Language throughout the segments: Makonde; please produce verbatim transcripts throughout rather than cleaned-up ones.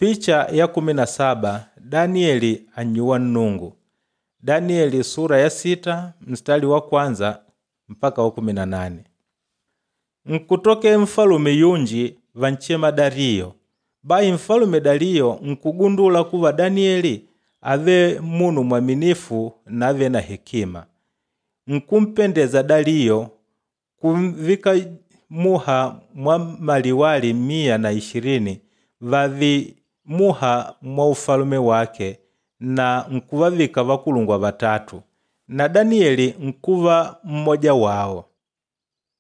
Picha ya kumi na saba Danieli annyuwa Nnungu. Danieli sura ya sita mstari wa kwanza mpaka wa kumi na nane. Nkutoke mfalume yunji vanchema Dariyo. Bahi mfalume Dariyo nkugundula kuva Danieli ave munu mwaminifu na ave na hekima. Nkumpendeza Dariyo kumvika muha mwa maliwali mia na ishirini vavi muha mwa ufalume wake na nkuvavika vakulungwa vatatu na Danieli nkuva mmoja wawo.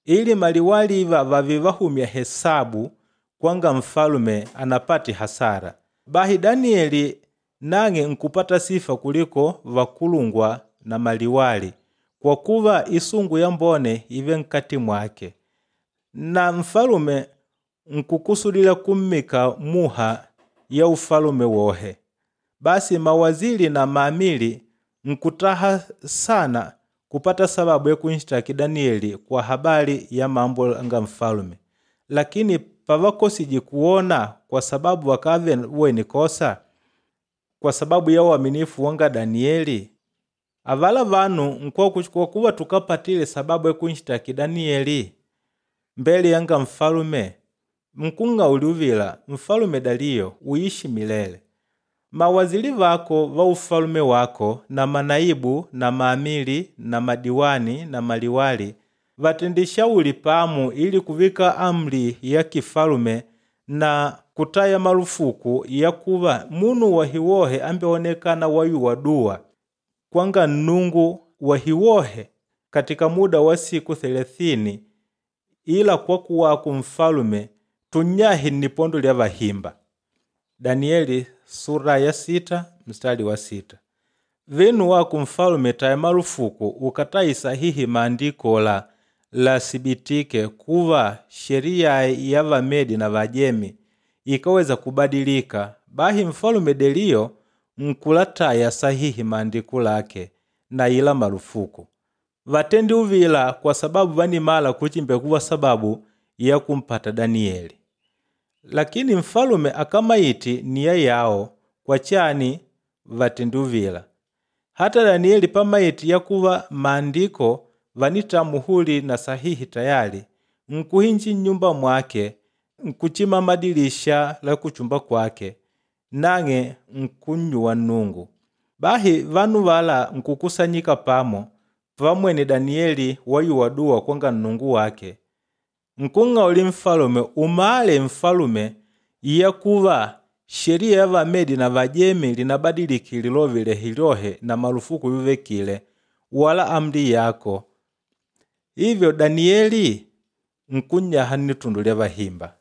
Ili maliwali iva vavi vahumya hesabu kwanga mfalume anapati hasara. Bahi Danieli nang'e nkupata sifa kuliko vakulungwa na maliwali kwa kuva isungu yambone ive nkati mwake. Na mfalume nkukusudila kummika muha ya ufalume wohe. Basi mawaziri na maamili nkutaha sana kupata sababu ya kunshitaki Danieli kwa habari ya mambo nga mfalume. Lakini pavakosiji kuona kwa sababu wakave weni kosa kwa sababu ya uaminifu wanga Danieli. Avala vanu kwa kuva tukapatile sababu ya kunshitaki Danieli mbele yanga mfalume nkung'auluvila mfalume Dariyo uishi milele. Mawaziri vako va ufalume wako na manaibu na maamili na madiwani na maliwali vatendishauli pamu ili kuvika amri ya kifalume na kutaya marufuku ya kuva munu wahiwohe ambeonekana wayuwa dua kwanga Nnungu wahiwohe katika muda wa siku thelathini ila kwa kuwaku mfalume tunyahi nnipondo lya vahimba. Danieli sura ya sita mstari wa sita. Vinu waku mfalume taya marufuku ukatai sahihi maandiko la lasibitike kuva sheria ya Vamedi na Vajemi ikaweza kubadilika. Bahi mfalume Deriyo nkulataya sahihi maandiko lake na ila marufuku. Vatendi uvila kwa sababu vanimala kuchimbe kuwa sababu ya kumpata Danieli. Lakini mfalume akamaiti niya yawo kwa chani vatendi uvila. Hata Danieli pamaiti yakuva maandiko vanita muhuri na sahihi tayari nkuhinji nyumba mwake nkuchima madilisha la kuchumba kwake nang'e nkunnyuwa Nnungu. Bahi vanu vala nkukusanyika pamo pamwene Danieli wayuwa dua kwanga Nnungu wake. Nkung'auli mfalume umale mfalume yakuva sheria ya Vamedi na Vajemi linabadiliki lilovile hilohe na marufuku yuvekile wala amri yako. Hivyo Danieli nkunyaha nnitundu lya vahimba.